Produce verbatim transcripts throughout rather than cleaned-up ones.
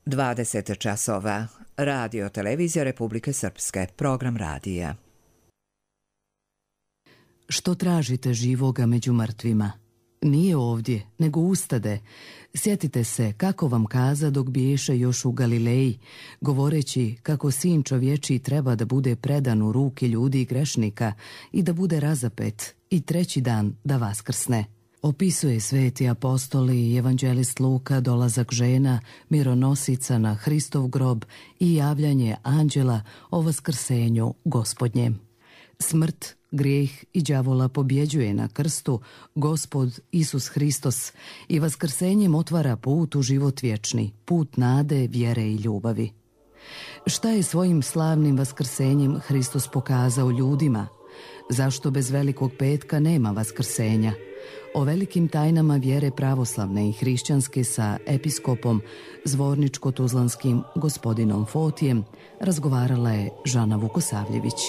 dvadeset časova. Radio Televizija Republike Srpske. Program radija. Što tražite živoga među mrtvima? Nije ovdje, nego ustade. Sjetite se kako vam kaza dok biješe još u Galileji, govoreći kako sin čovječiji treba da bude predan u ruke ljudi i grešnika i da bude razapet i treći dan da vaskrsne. Opisuje sveti apostoli i evanđelist Luka dolazak žena, mironosica na Hristov grob i javljanje anđela o vaskrsenju Gospodnjem. Smrt, grijeh i đavola pobjeđuje na krstu Gospod Isus Hristos i vaskrsenjem otvara put u život vječni, put nade, vjere i ljubavi. Šta je svojim slavnim vaskrsenjem Hristos pokazao ljudima? Zašto bez Velikog petka nema vaskrsenja? O velikim tajnama vjere pravoslavne i hrišćanske sa episkopom zvorničko-tuzlanskim gospodinom Fotijem razgovarala je Žana Vukosavljević.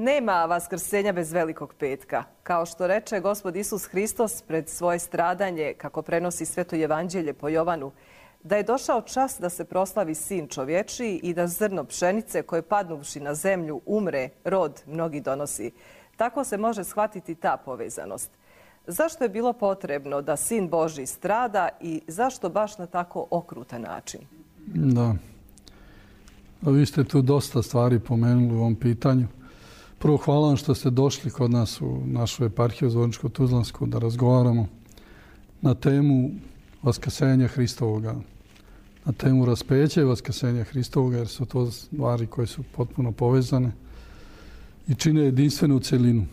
Nema vaskrsenja bez Velikog petka. Kao što reče Gospod Isus Hristos pred svoje stradanje, kako prenosi Sveto evanđelje po Jovanu, da je došao čas da se proslavi sin čovječiji i da zrno pšenice koje padnuvši na zemlju umre, rod mnogi donosi. Tako se može shvatiti ta povezanost. Zašto je bilo potrebno da sin Božji strada i zašto baš na tako okrutan način? Da. Vi ste tu dosta stvari pomenuli u ovom pitanju. Prvo, hvala vam što ste došli kod nas u našu eparhiju Zvorničko-tuzlansku da razgovaramo na temu vaskrsenja Hristovoga, na temu raspeća i vaskrsenja Hristovoga, jer su to stvari koje su potpuno povezane i čine jedinstvenu celinu.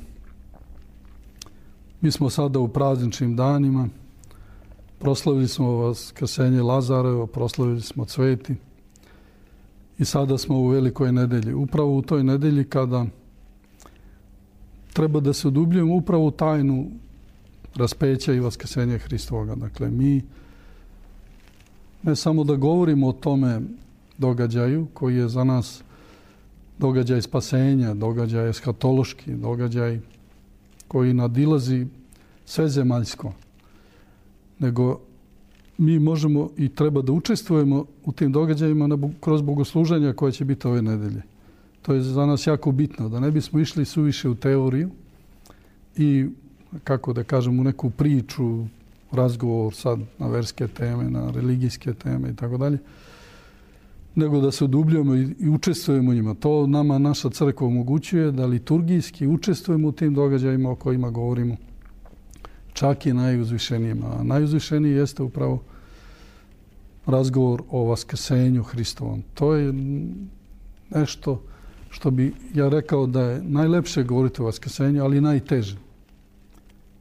Mi smo sada u prazničnim danima, proslavili smo vaskrsenje Lazarevo, proslavili smo Cveti i sada smo u Velikoj nedelji. Upravo u toj nedelji kada treba da se udubljujemo upravo u tajnu raspeća i vaskrsenja Hristovoga. Dakle, mi ne samo da govorimo o tome događaju koji je za nas događaj spasenja, događaj eshatološki, događaj koji nadilazi sve zemaljsko, nego mi možemo i treba da učestvujemo u tim događajima kroz bogosluženja koje će biti ove nedelje. To je za nas jako bitno, da ne bismo išli suviše u teoriju i, kako da kažem, u neku priču, razgovor sad na verske teme, na religijske teme i tako dalje, nego da se udubljujemo i učestvujemo u njima. To nama naša crkva omogućuje da liturgijski učestvujemo u tim događajima o kojima govorimo, čak i najuzvišenijima. A najuzvišeniji jeste upravo razgovor o vaskrsenju Hristovom. To je nešto što bi ja rekao da je najlepše govoriti o vaskrsenju, ali najteže.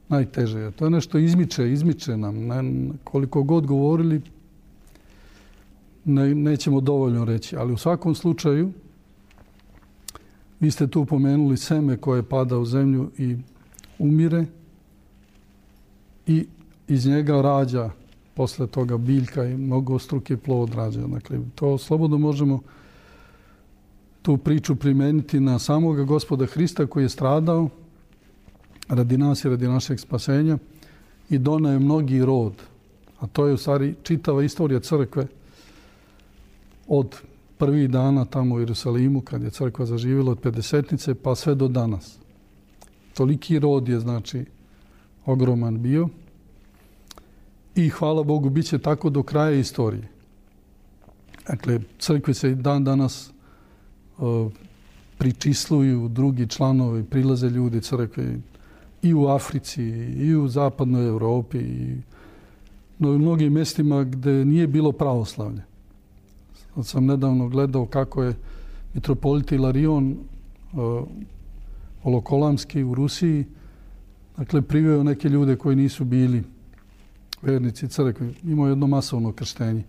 Najteže je. To je nešto izmiče, izmiče nam. Ne, koliko god govorili, ne, nećemo dovoljno reći. Ali u svakom slučaju, vi ste tu pomenuli seme koje pada u zemlju i umire i iz njega rađa posle toga biljka i mnogostruki plod rađa. Dakle, to slobodno možemo tu priču primijeniti na samoga Gospoda Hrista koji je stradao radi nas i radi našeg spasenja i doneo je mnogi rod. A to je u stvari čitava istorija crkve od prvih dana tamo u Jerusalimu kad je crkva zaživjela od pedesetnice pa sve do danas. Toliki rod je znači ogroman bio i hvala Bogu bit će tako do kraja istorije. Dakle, crkvi se dan danas pričisluju drugi članovi, prilaze ljudi crkve i u Africi, i u zapadnoj Europi, i no, u mnogim mjestima gdje nije bilo pravoslavlje. Sad sam nedavno gledao kako je mitropolit Ilarion Olokolamski u Rusiji, dakle, priveo neke ljude koji nisu bili vernici crkve. Imao jedno masovno krštenje.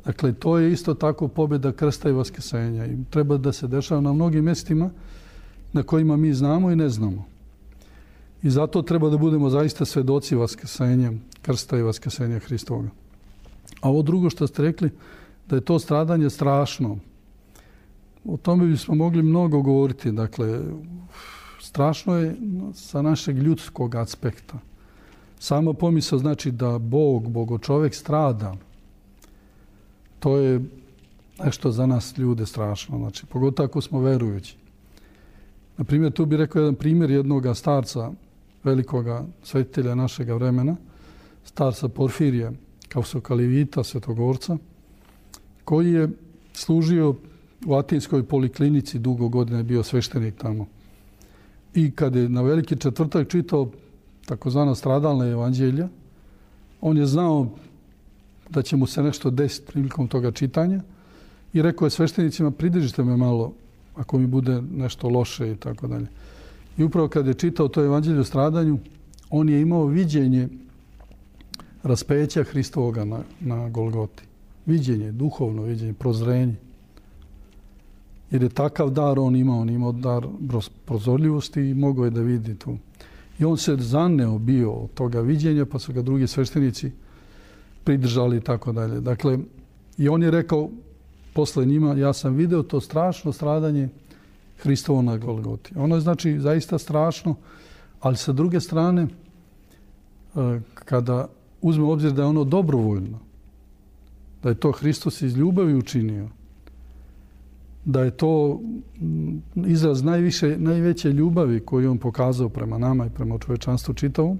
Dakle, to je isto tako pobjeda krsta i vaskrsenja. I treba da se dešava na mnogim mjestima na kojima mi znamo i ne znamo. I zato treba da budemo zaista svedoci vaskrsenja krsta i vaskrsenja Hristovoga. A ovo drugo što ste rekli, da je to stradanje strašno. O tome bismo mogli mnogo govoriti. Dakle, strašno je sa našeg ljudskog aspekta. Sama pomisao znači da Bog, Bogočovek strada. To je nešto za nas ljude strašno. Znači, pogotovo ako smo verujući. Na primjer, tu bih rekao jedan primjer jednoga starca, velikoga svetitelja našega vremena, starca Porfirija, Kausokalivita, Svetogorca, koji je služio u Atinskoj poliklinici, dugo godina je bio sveštenik tamo. I kad je na Veliki četvrtak čitao takozvana stradalna evanđelja, on je znao da će mu se nešto desiti prilikom toga čitanja i rekao je sveštenicima, pridržite me malo ako mi bude nešto loše i tako dalje. I upravo kad je čitao to evanđelje o stradanju, on je imao viđenje raspeća Hristovoga na, na Golgoti. Viđenje, duhovno viđenje, prozrenje. Jer je takav dar on imao, on imao dar prozorljivosti i mogao je da vidi tu. I on se zaneo bio od toga viđenja, pa su ga drugi sveštenici pridržali i tako dalje. Dakle, i on je rekao posle njima, ja sam video to strašno stradanje Hristovo na Golgoti. Ono je znači zaista strašno, ali sa druge strane, kada uzme u obzir da je ono dobrovoljno, da je to Hristos iz ljubavi učinio, da je to izraz najviše, najveće ljubavi koju on pokazao prema nama i prema čovečanstvu čitavom,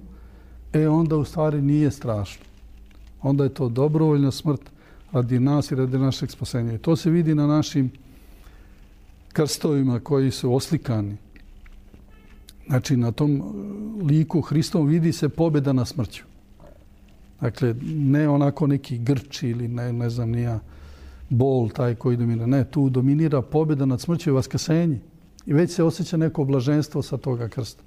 e onda u stvari nije strašno. Onda je to dobrovoljna smrt radi nas i radi našeg spasenja. I to se vidi na našim krstovima koji su oslikani. Znači, na tom liku Hristovom vidi se pobjeda na smrću. Dakle, ne onako neki grč ili ne, ne znam nija bol taj koji dominira. Ne, tu dominira pobjeda nad smrću i vaskrsenje. I već se osjeća neko blaženstvo sa toga krsta.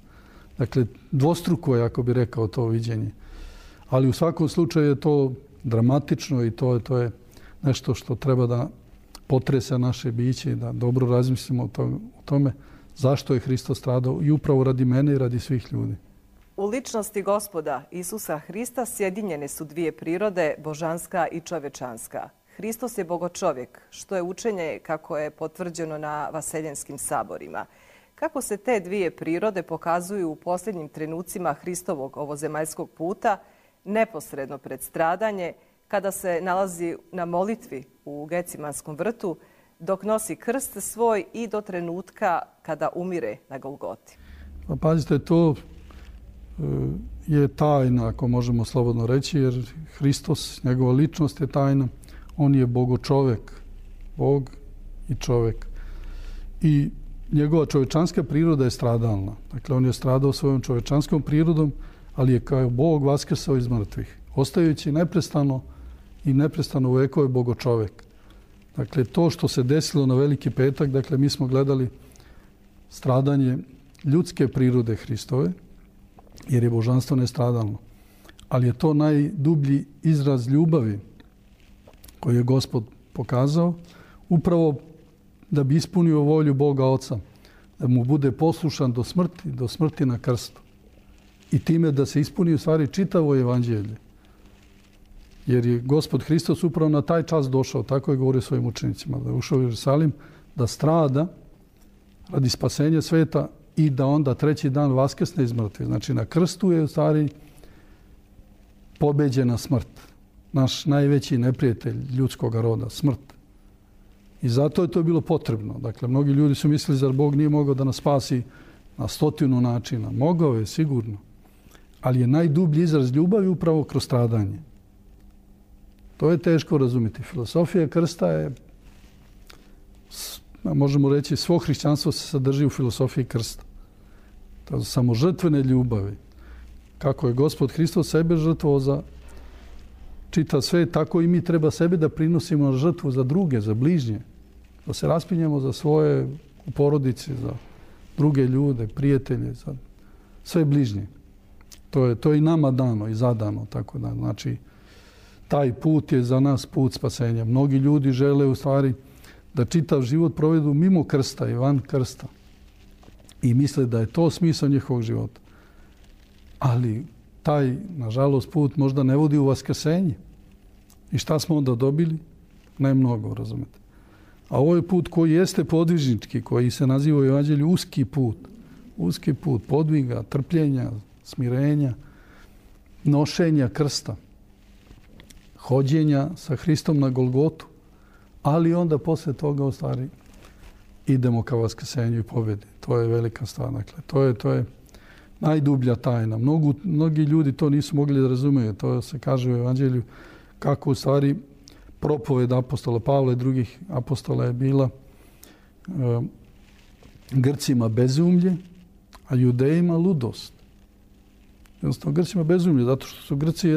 Dakle, dvostruko je, ako bi rekao, to viđenje. Ali u svakom slučaju je to dramatično i to je, to je nešto što treba da potresa naše biće i da dobro razmislimo o, to, o tome zašto je Hristos stradao i upravo radi mene i radi svih ljudi. U ličnosti Gospoda Isusa Hrista sjedinjene su dvije prirode, božanska i čovečanska. Hristos je bogočovjek, što je učenje kako je potvrđeno na vaseljenskim saborima. Kako se te dvije prirode pokazuju u posljednjim trenucima Hristovog ovozemaljskog puta, neposredno pred stradanje, kada se nalazi na molitvi u Gecimanskom vrtu, dok nosi krst svoj i do trenutka kada umire na Golgoti. Pa pazite, to je tajna, ako možemo slobodno reći, jer Hristos, njegova ličnost je tajna. On je bogočovek, Bog i čovek. I njegova čovečanska priroda je stradalna. Dakle, on je stradao svojom čovečanskom prirodom, ali je kao Bog vaskrsao iz mrtvih, ostajući neprestano i neprestano u vekove bogočovek. Dakle, to što se desilo na Veliki petak, dakle, mi smo gledali stradanje ljudske prirode Hristove, jer je božanstvo nestradalno. Ali je to najdublji izraz ljubavi koji je Gospod pokazao, upravo da bi ispunio volju Boga Oca, da mu bude poslušan do smrti, do smrti na krstu. I time da se ispuni u stvari čitavo evanđelje. Jer je Gospod Hristos upravo na taj čas došao, tako je govorio svojim učenicima, da je ušao u Jerusalim, da strada radi spasenja sveta i da onda treći dan vaskrsne iz mrtvih. Znači, na krstu je u stvari pobeđena smrt. Naš najveći neprijatelj ljudskog roda, smrt. I zato je to bilo potrebno. Dakle, mnogi ljudi su mislili, zar Bog nije mogao da nas spasi na stotinu načina. Mogao je, sigurno. Ali je najdublji izraz ljubavi upravo kroz stradanje. To je teško razumjeti. Filosofija krsta je, možemo reći, svo hrišćanstvo se sadrži u filosofiji krsta. To je samo žrtvene ljubavi. Kako je Gospod Hristos sebe žrtvovao za čita sve, tako i mi treba sebe da prinosimo na žrtvu za druge, za bližnje. Da se raspinjemo za svoje u porodici, za druge ljude, prijatelje, za sve bližnje. To je, to je i nama dano i zadano. Tako da, znači, taj put je za nas put spasenja. Mnogi ljudi žele u stvari da čitav život provedu mimo krsta i van krsta. i misle da je to smisao njihovog života. Ali taj, nažalost, put možda ne vodi u vaskrsenje. I šta smo onda dobili? Ne mnogo, razumete. A ovo je put koji jeste podvižnički, koji se naziva u Evanđelju uski put. Uski put podviga, trpljenja, smirenja, nošenja krsta, hođenja sa Hristom na Golgotu, ali onda posle toga u stvari idemo ka vaskrsenju i pobjedi. To je velika stvar. Dakle, to je, to je najdublja tajna. Mnogu, mnogi ljudi to nisu mogli da razumeju. To se kaže u Evanđelju kako u stvari propoved apostola Pavla i drugih apostola je bila e, Grcima bezumlje, a Judejima ludost. Jednostavno, Grcima bezumlje, zato što su Grci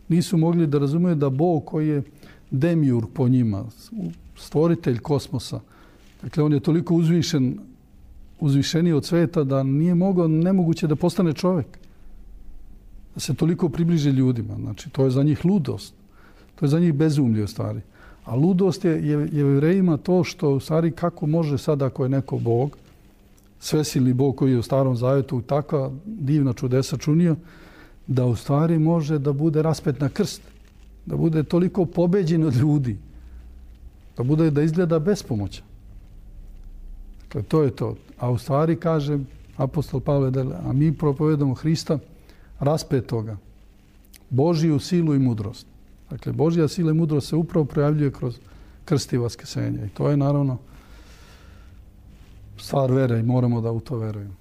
nisu mogli da razumeju da Bog koji je demiurg po njima, stvoritelj kosmosa, dakle, on je toliko uzvišen, uzvišeniji od sveta da nije mogao, nemoguće da postane čovjek. Da se toliko približi ljudima. Znači, to je za njih ludost. To je za njih bezumlje u stvari. A ludost je, je, je Jevrejima to što u stvari kako može sad ako je neko Bog, svesilni Bog koji je u Starom Zavjetu takva divna čudesa čunio, da u stvari može da bude raspet na krst. Da bude toliko pobeđen od ljudi. Da bude da izgleda bespomoćan. Dakle, to je to. A u stvari, kaže apostol Pavle, a mi propovedamo Hrista raspetoga, Božiju silu i mudrost. Dakle, Božja sila i mudrost se upravo projavljuje kroz krst i vaskrsenje. I to je naravno stvar vere i moramo da u to verujemo.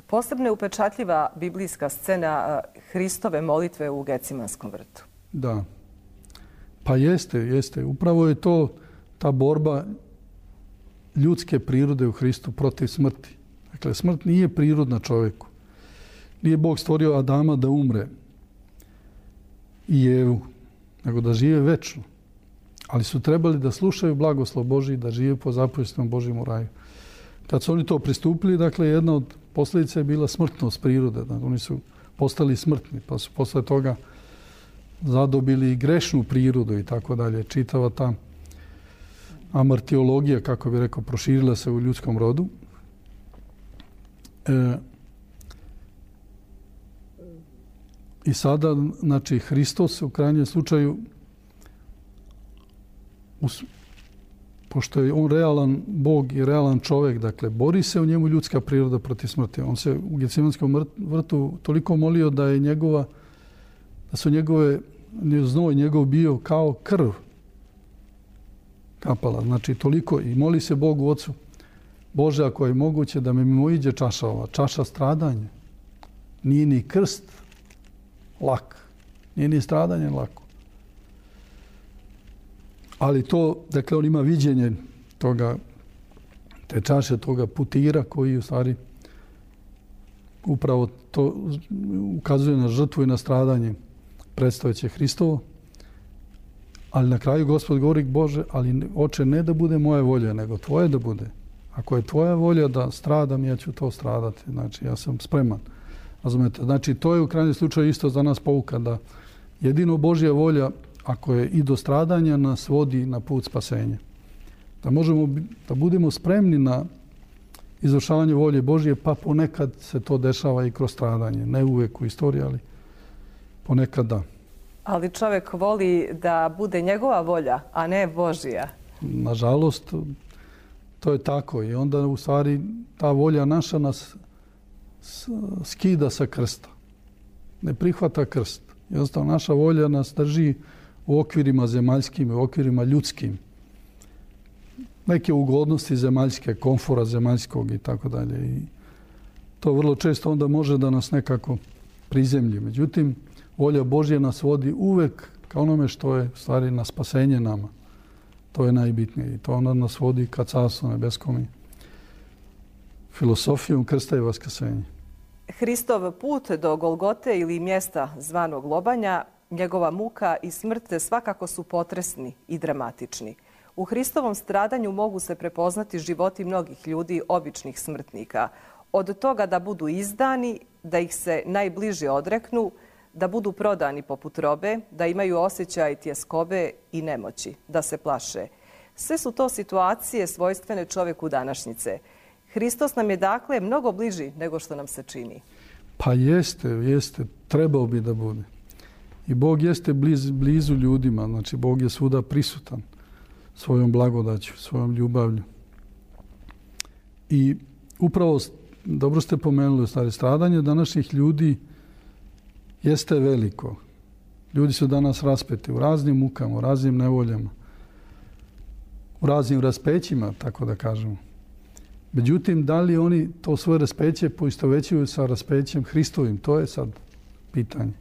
Posebno je upečatljiva biblijska scena Hristove molitve u Gecimanskom vrtu. Da. Pa jeste, jeste. Upravo je to ta borba ljudske prirode u Hristu protiv smrti. Dakle, smrt nije prirodna čovjeku. Nije Bog stvorio Adama da umre i Evu, nego da žive večno. Ali su trebali da slušaju blagoslov Božji, da žive po zapovjestima Božjim u raju. Kad su oni to pristupili, dakle, jedna od posljedica je bila smrtnost prirode. Dakle, oni su postali smrtni, pa su posle toga zadobili i grešnu prirodu i tako dalje. Čitava ta amartiologija, kako bi rekao, proširila se u ljudskom rodu. E, I sada, znači, Hristos u krajnjem slučaju, us, pošto je on realan Bog i realan čovjek, dakle, bori se u njemu ljudska priroda protiv smrti. On se u Gecimanskom vrtu toliko molio da je njegova, da su njegove, znoj njegov bio kao krv kapala. Znači, toliko. I moli se Bogu Ocu, Bože, ako je moguće da me mimoiđe čaša ova, čaša stradanja. Nije ni krst lak. Nije ni stradanje lako. Ali to, dakle, on ima viđenje toga, te čaše, toga putira koji u stvari upravo to ukazuje na žrtvu i na stradanje predstojeće Hristovo. Ali na kraju Gospod govori, Bože, ali oče, ne da bude moja volja, nego tvoje da bude. Ako je tvoja volja da stradam, ja ću to stradati. Znači, ja sam spreman. Razumete? Znači, to je u krajnjem slučaju isto za nas pouka da jedino Božja volja, ako je i do stradanja, nas vodi na put spasenja. Da možemo, da budemo spremni na izvršavanje volje Božje, pa ponekad se to dešava i kroz stradanje. Ne uvek u istoriji, ali ponekad da. Ali čovjek voli da bude njegova volja, a ne Božja. Nažalost, to je tako. I onda u stvari ta volja naša nas skida sa krsta. Ne prihvata krst. Jednostavno, naša volja nas drži u okvirima zemaljskim, u okvirima ljudskim. Neke ugodnosti zemaljske, komfora zemaljskog i tako dalje. I to vrlo često onda može da nas nekako prizemlji. Međutim, volja Božja nas vodi uvek ka onome što je stvari na spasenje nama. To je najbitnije. I to onda nas vodi ka Carstvu nebeskom i filosofijom krsta i vaskrsenja. Hristov put do Golgote ili mjesta zvanog lobanja, njegova muka i smrt svakako su potresni i dramatični. U Hristovom stradanju mogu se prepoznati životi mnogih ljudi, običnih smrtnika. Od toga da budu izdani, da ih se najbliže odreknu, da budu prodani poput robe, da imaju osjećaj tjeskobe i nemoći, da se plaše. Sve su to situacije svojstvene čovjeku današnjice. Hristos nam je dakle mnogo bliži nego što nam se čini. Pa jeste, jeste. Trebao bi da bude. I Bog jeste bliz, blizu ljudima. Znači, Bog je svuda prisutan svojom blagodaću, svojom ljubavlju. I upravo, dobro ste pomenuli, stari, stradanje današnjih ljudi jeste veliko. Ljudi su danas raspeti u raznim mukama, u raznim nevoljama, u raznim raspećima, tako da kažemo. Međutim, da li oni to svoje raspeće poistovećuju sa raspećem Hristovim? To je sad pitanje.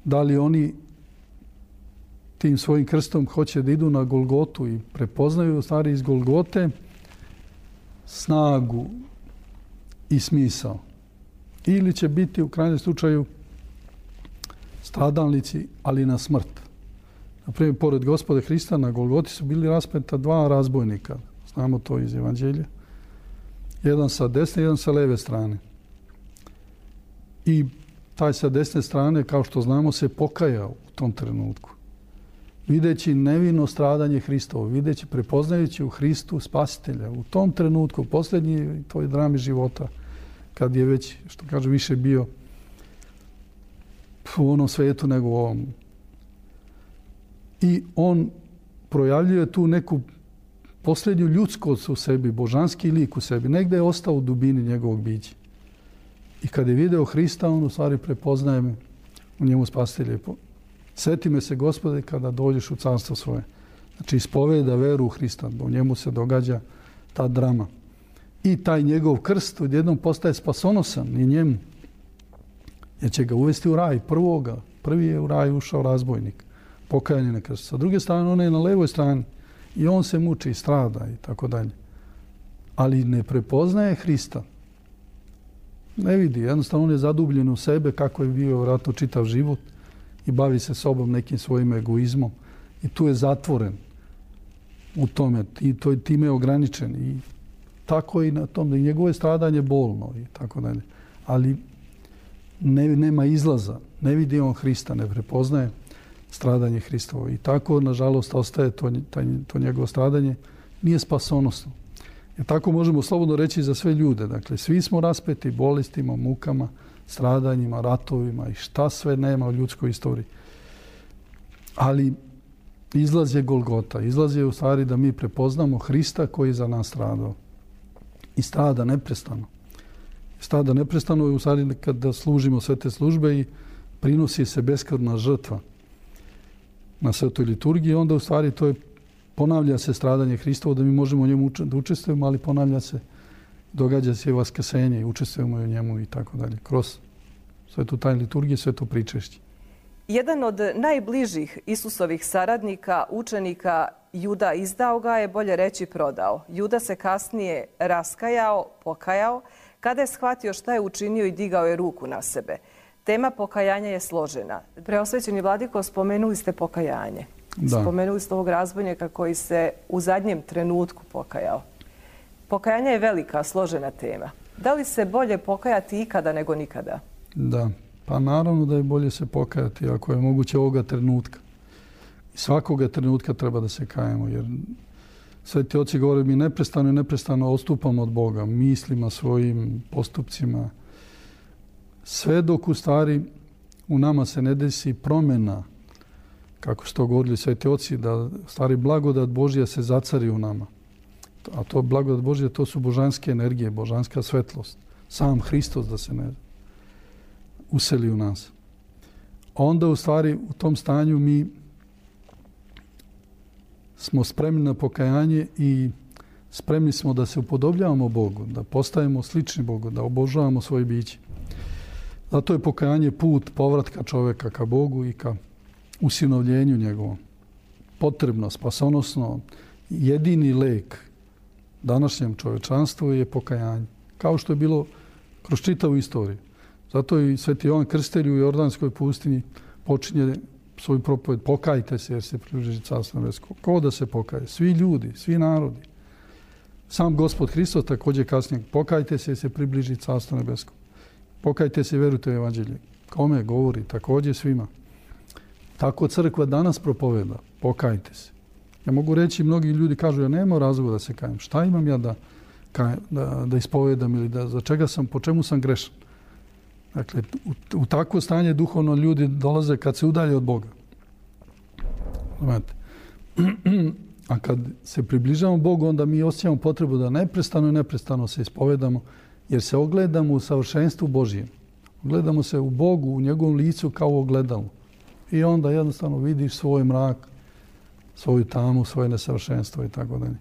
Da li oni tim svojim krstom hoće da idu na Golgotu i prepoznaju stvari iz Golgote snagu i smisao? Ili će biti u krajnjem slučaju stradalnici, ali na smrt? Naprimjer, pored Gospoda Hrista na Golgoti su bili raspeta dva razbojnika. Znamo to iz Evanđelja. Jedan sa desne, jedan sa leve strane. I taj sa desne strane, kao što znamo, se pokajao u tom trenutku. Videći nevino stradanje Hristovo, videći, prepoznajući u Hristu spasitelja. U tom trenutku, u posljednji toj drami života, kad je već, što kaže, više bio u onom svijetu nego u ovom. I on projavljuje tu neku posljednju ljudskost u sebi, božanski lik u sebi. Negdje je ostao u dubini njegovog bića. I kad je video Hrista, on u stvari prepoznaje me u njemu spasitelje. Sjeti me se, Gospode, kada dođeš u carstvo svoje. Znači, ispoveda veru u Hrista. U njemu se događa ta drama. I taj njegov krst odjednom postaje spasonosan i njemu. Jer će ga uvesti u raj prvoga. Prvi je u raj ušao razbojnik. Pokajanje na krst. Sa druge strane, on je na levoj strani. I on se muči i strada i tako dalje. Ali ne prepoznaje Hrista. Ne vidi. Jednostavno on je zadubljen u sebe kako je bio vjerojatno čitav život i bavi se sobom nekim svojim egoizmom. I tu je zatvoren u tome. I to je time ograničen. I tako i na tom. I njegovo je stradanje bolno i tako dalje. Ali ne, nema izlaza. Ne vidi on Hrista, ne prepoznaje stradanje Hristovo. I tako, nažalost, ostaje to, taj, to njegovo stradanje. Nije spasonosno. Jer tako možemo slobodno reći za sve ljude. Dakle, svi smo raspeti bolestima, mukama, stradanjima, ratovima i šta sve nema u ljudskoj istoriji. Ali izlaz je Golgota. Izlaz je u stvari da mi prepoznamo Hrista koji je za nas stradao. I strada neprestano. Strada neprestano je u stvari kada služimo sve te službe i prinosi se beskrvna žrtva na svetoj liturgiji, onda u stvari to je, ponavlja se stradanje Hristovo, da mi možemo u njemu da učestvujemo, ali ponavlja se, događa se i vaskrsenje i učestvujemo u njemu i tako dalje. Kroz svetu tajnu liturgije, sveto pričešće. Jedan od najbližih Isusovih saradnika, učenika, Juda izdao ga je, bolje reći prodao. Juda se kasnije raskajao, pokajao, kada je shvatio šta je učinio i digao je ruku na sebe. Tema pokajanja je složena. Preosvećeni vladiko, spomenuli ste pokajanje. Da. Spomenuli ste ovog razbojnika koji se u zadnjem trenutku pokajao. Pokajanje je velika, složena tema. Da li se bolje pokajati ikada nego nikada? Da, pa naravno da je bolje se pokajati ako je moguće ovoga trenutka. I svakoga trenutka treba da se kajemo, jer sveti oci govore mi neprestano i neprestano odstupamo od Boga, mislima svojim, postupcima. Sve dok u stvari u nama se ne desi promjena, kako su to govorili sveti oci, da u stvari blagodat Božja se zacari u nama. A to blagodat Božja, to su božanske energije, božanska svetlost. Sam Hristos da se ne useli u nas. Onda u stvari u tom stanju mi smo spremni na pokajanje i spremni smo da se upodobljavamo Bogu, da postajemo slični Bogu, da obožavamo svoje biće. Zato je pokajanje put povratka čovjeka ka Bogu i ka usinovljenju njegovom. Potrebno, spasonosno, jedini lek današnjem čovječanstvu je pokajanje. Kao što je bilo kroz čitavu istoriju. Zato i sveti Jovan Krstitelj u Jordanskoj pustinji počinje svoju propoved: pokajte se jer se približi carstvo nebesko. Ko da se pokaje? Svi ljudi, svi narodi. Sam Gospod Hristos također kasnije: pokajte se jer se približi carstvo nebesko. Pokajte se i verujte u evanđelje. Kome govori? Također svima. Tako crkva danas propoveda: pokajte se. Ja mogu reći, mnogi ljudi kažu: ja nema razloga da se kajem. Šta imam ja da da, da ispovedam ili da, za čega sam, po čemu sam grešan. Dakle, u, u takvo stanje duhovno ljudi dolaze kad se udalje od Boga. Znate. A kad se približavamo Bogu, onda mi osjećamo potrebu da neprestano i neprestano se ispovedamo, jer se ogledamo u savršenstvu Božijem. Ogledamo se u Bogu, u njegovom licu kao u ogledalu. I onda jednostavno vidiš svoj mrak, svoju tamu, svoje nesavršenstvo i tako dalje.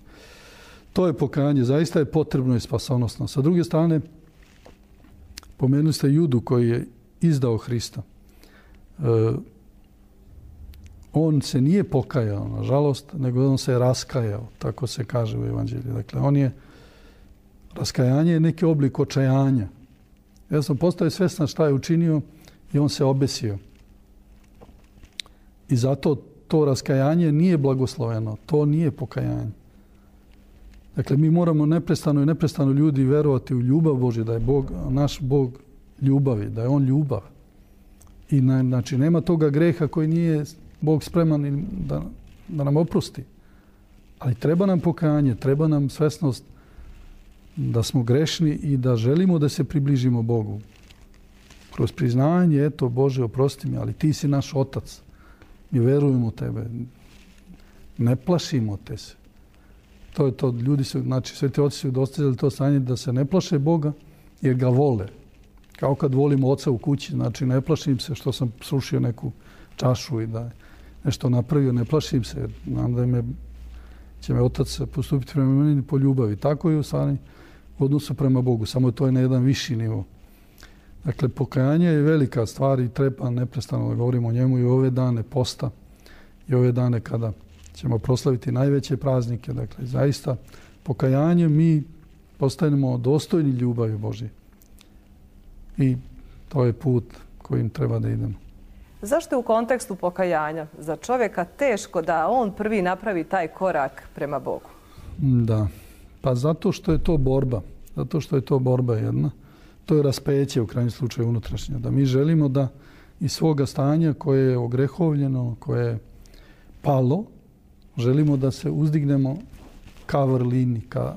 To je pokajanje. Zaista je potrebno i spasonosno. Sa druge strane, pomenuli ste Judu koji je izdao Hrista. E, on se nije pokajao, nažalost, nego on se je raskajao, tako se kaže u Evanđelju. Dakle, on je, raskajanje je neki oblik očajanja. Ja sam postao svjestan šta je učinio i on se obesio. I zato to raskajanje nije blagosloveno, to nije pokajanje. Dakle, mi moramo neprestano i neprestano ljudi verovati u ljubav Božju, da je Bog, naš Bog ljubavi, da je on ljubav. I na, znači, nema toga greha koji nije Bog spreman da, da nam oprosti. Ali treba nam pokajanje, treba nam svesnost da smo grešni i da želimo da se približimo Bogu. Kroz priznanje, eto, Bože, oprosti mi, ali ti si naš otac. Mi verujemo u tebe. Ne plašimo te se. To je to, ljudi su, znači, sveti oci su dostizali to stanje da se ne plaše Boga jer ga vole. Kao kad volimo oca u kući, znači ne plašim se što sam srušio neku čašu i da nešto napravio, ne plašim se jer znam da me, će me otac postupiti prema meni po ljubavi. Tako je u stvari u odnosu prema Bogu, samo to je na jedan viši nivo. Dakle, pokajanje je velika stvar i treba neprestano da govorimo o njemu i ove dane posta i ove dane kada ćemo proslaviti najveće praznike. Dakle, zaista pokajanje mi postajemo dostojni ljubavi Božje. I to je put kojim treba da idemo. Zašto je u kontekstu pokajanja za čovjeka teško da on prvi napravi taj korak prema Bogu? Da, pa zato što je to borba. Zato što je to borba jedna. To je raspeće u krajnjem slučaju unutrašnje. Da mi želimo da iz svoga stanja koje je ogrehovljeno, koje je palo, želimo da se uzdignemo ka vrlini, ka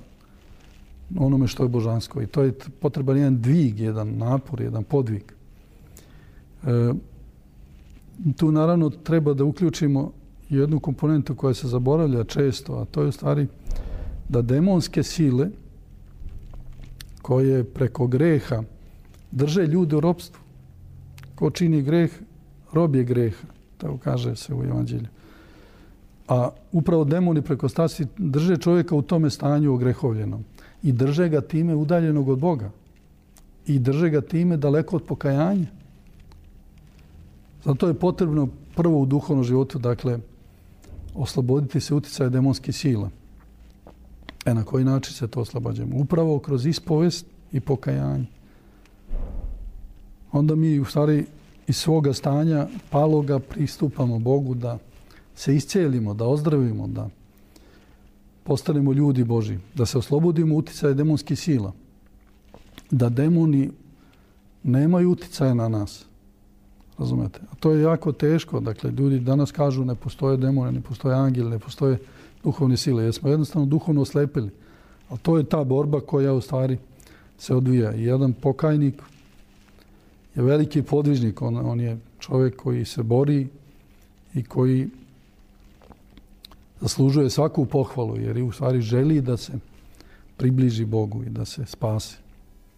onome što je božansko. I to je potreban jedan dvig, jedan napor, jedan podvig. E, tu naravno treba da uključimo jednu komponentu koja se zaboravlja često, a to je u stvari da demonske sile koje preko greha drže ljude u ropstvu. Ko čini greh, rob je greha, tako kaže se u Evanđelju. A upravo demoni preko strasti drže čovjeka u tome stanju ogrehovljenom. I drže ga time udaljenog od Boga. I drže ga time daleko od pokajanja. Zato je potrebno prvo u duhovnom životu, dakle, osloboditi se uticaja demonskih sila. E na koji način se to oslobađamo? Upravo kroz ispovest i pokajanje. Onda mi u stvari iz svoga stanja paloga pristupamo Bogu da se iscijelimo, da ozdravimo, da postanemo ljudi Božji, da se oslobodimo uticaja demonskih sila, da demoni nemaju uticaja na nas. Razumete? A to je jako teško. Dakle, ljudi danas kažu ne postoje demone, ne postoje angeli, ne postoje duhovne sile, jer smo jednostavno duhovno oslepili. Ali to je ta borba koja u stvari se odvija. I jedan pokajnik je veliki podvižnik. On, on je čovjek koji se bori i koji zaslužuje svaku pohvalu, jer u stvari želi da se približi Bogu i da se spase.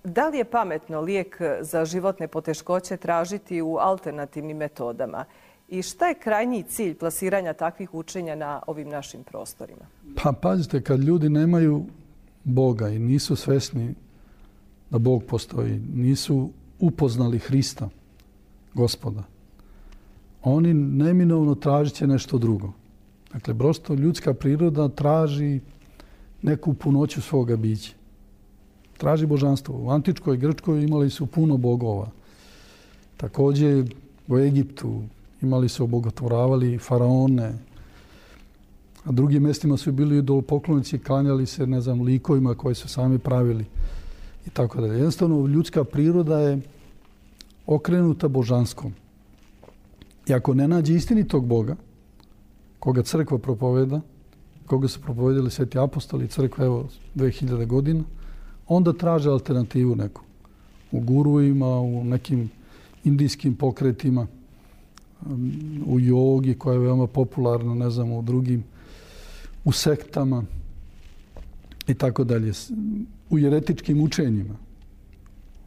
Da li je pametno lijek za životne poteškoće tražiti u alternativnim metodama? I šta je krajnji cilj plasiranja takvih učenja na ovim našim prostorima? Pa pazite, kad ljudi nemaju Boga i nisu svesni da Bog postoji, nisu upoznali Hrista, Gospoda, oni neminovno tražit će nešto drugo. Dakle, prosto ljudska priroda traži neku punoću svoga bića. Traži božanstvo. U antičkoj Grčkoj imali su puno bogova. Također u Egiptu imali su, obogotvoravali faraone. A drugim mjestima su bili idolopoklonici, klanjali se, ne znam, likovima koje su sami pravili i tako dalje. Jednostavno, ljudska priroda je okrenuta božanskom. I ako ne nađe istinitog Boga, koga crkva propoveda, koga su propovedali sveti apostoli, crkva evo dve hiljade godina, onda traže alternativu neku. U guruima, u nekim indijskim pokretima, u jogi koja je veoma popularna, ne znam, u drugim, u sektama i tako dalje. U jeretičkim učenjima.